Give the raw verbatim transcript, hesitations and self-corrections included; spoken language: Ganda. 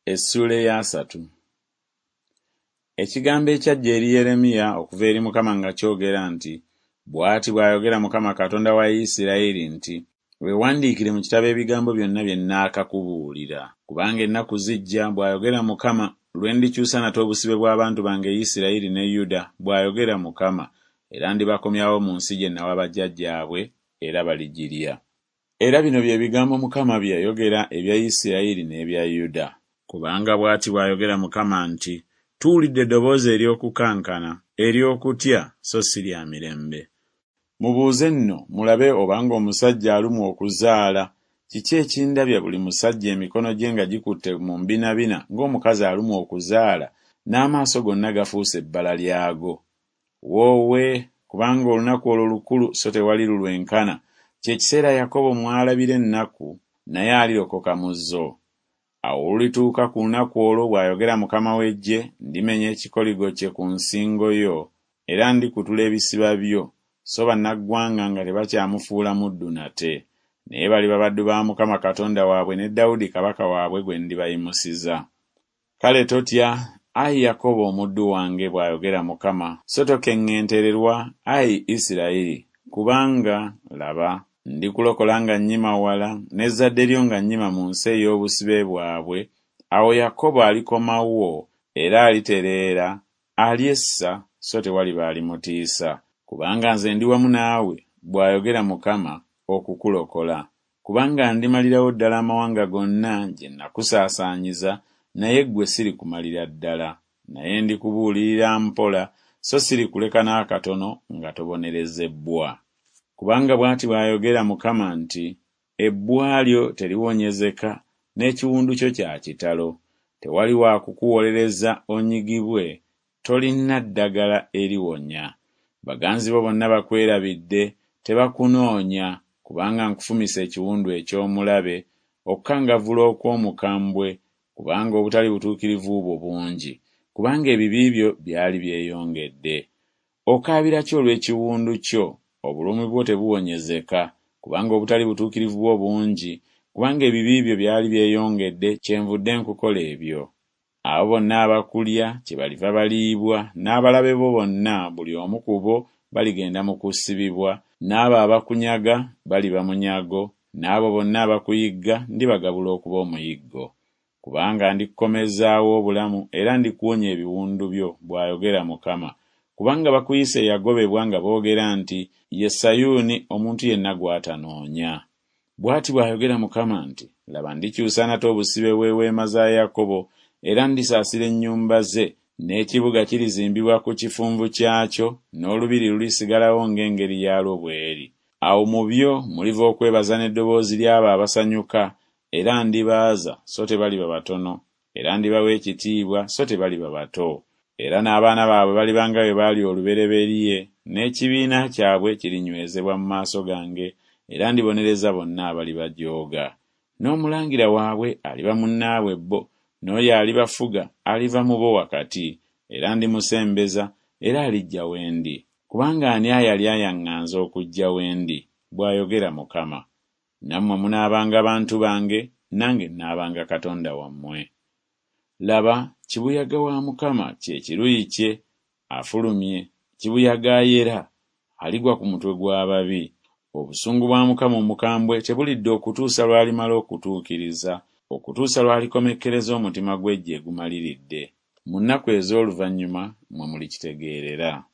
Essuula ey'asatu. Ekigambo ekyajja eri Yeremiya okuva eri Mukama nga kyogera nti, Bw'ati bw'ayogera Mukama Katonda wa Isirayiri nti, Weewandiikire mu kitabo ebigambo byonna bye nnaakakubuulira. Kubanga ennaku zijja, bw'ayogera Mukama, lwe ndikyusa nate obusibe bw'abantu bange Isirayiri ne Yuda, bw'ayogera Mukama, era ndibakomyawo mu nsi gye nawa bajjajjaabwe, era baligirya. Era bino bye bigambo Mukama bye yayogera ebya Isirayiri n'ebya Yuda. Kubanga bw'ati bw'ayogera Mukama nti Tuwulidde eddoboozi ery'okukankana, ery'okutya, so si lya mirembe. Mubuuze nno mulabe obanga omusajja alumwa okuzaala, kiki ekindabya buli musajja emikono gye nga gikutte mu mbinabina ng'omukazi alumwa okuzaala, n'amaaso gonna gafuuse ebbala lyago? Woowe! Kubanga olunaku olwo lukulu so tewali lulwenkana, kye kiseera Yakobo mw'alabira ennaku, naye alirokoka mu zo. Awo olulituuka ku lunaku olwo, bw'ayogera Mukama w'eggye, ndimenya ekikoligo kye ku nsingo yo, era ndikutula ebisiba byo, so bannaggwanga nga tebakyamufuula muddu nate. Naye baliba baddu ba Mukama Katonda waabwe ne Dawudi kabaka waabwe gwe ndibayimusiza. Kale totya, ayi Yakobo omuddu wange, bw'ayogera Mukama, so tokeŋŋentererwa, ayi Isirayiri, kubanga, laba, ndikulokola nga nnyima wala, n'ezzadde lyo nga nnyima mu nsi ey'obusibe bwabwe, awo Yakobo alikomawo, era alitereera, alyessa, so tewaliba alimutiisa. Kubanga nze ndi wamu naawe, bw'ayogera Mukama, okukulokola. Kubanga ndimalirawo ddala amawanga gonna gye nakusaasaanyiza, naye ggwe sirikumalira ddala. Naye ndikubuulirira mpola, so sirikuleka n'akatono nga tobonerezebbwa. Kubanga bw'ati bw'ayogera Mukama nti Ebbwa lyo teriwonyezeka, n'ekiwundu kyo kya kitalo. Tewali wa kukuwolereza onyigibwe, tolina ddagala eriwonya. Baganzi bo bonna bakwerabidde, tebakunoonya, kubanga nkufumise ekiwundu eky'omulabe, okukangavvula okw'omukambwe, kubanga obutali butuukirivu bwo bungi, kubanga ebibi byo byali byeyongedde. Okaabira ki olw'ekiwundu kyo? Obulumi bwo tebuwonyezeka, kubanga obutali butuukirivu bwo bungi, kubanga ebibi byo byali byeyongedde, kyenvudde nkukola ebyo. Abo bonna abakulya kyebaliva baliibwa, n'abalabe bo bonna buli omu ku bo baligenda mu kusibibwa, n'abo abakunyaga baliba munyago, n'abo bonna abakuyigga ndibagabula okuba omuyiggo. Kubanga ndikukomezaawo obulamu era ndikuwonya ebiwundu byo, bw'ayogera Mukama. Kubanga bakuyise eyagobebwa nga boogera nti Ye Sayuuni omuntu yenna gw'atanoonya. Bw'ati bw'ayogera Mukama nti Laba ndikyusa nate obusibe bw'eweema za Yakobo, era ndisaasira ennyumba ze, n'ekibuga kirizimbibwa ku kifunvu kyakyo, n'olubiri lulisigalawo ng'engeri yaalwo bw'eri. Awo mu byo muliva okwebaza n'eddoboozi ly'abo abasanyuka, era ndibaaza, so tebaliba batono, era ndibawa ekitiibwa, so tebaliba bato. Era n'abaana baabwe baliba nga bwe baali olubereberye, n'ekibiina kyabwe kirinywezebwa mu maaso gange, era ndibonereza bonna abalibajooga. N'omulangira waabwe aliba munnaabwe bo, n'oyo alibafuga aliva mu bo wakati, era ndimusembeza, era alijja we ndi. Kubanga ani ayali ayaŋŋanze okujja we ndi? Bw'ayogera Mukama. Nammwe munaabanga bantu bange, nange nnaabanga Katonda wammwe. Laba, kibuyaga wa Mukama kye kiruyi kye, afulumye, kibuyaga ayera, aligwa ku mutwe gw'ababi. Obusungu bwa Mukama omukambwe tebulidda okutuusa lw'alimala okutuukiriza, okutuusa lw'alikomekkereza omutima gwe gye gumaliridde. Mu nnaku ez'oluvannyuma mmwe mulikitegeerera.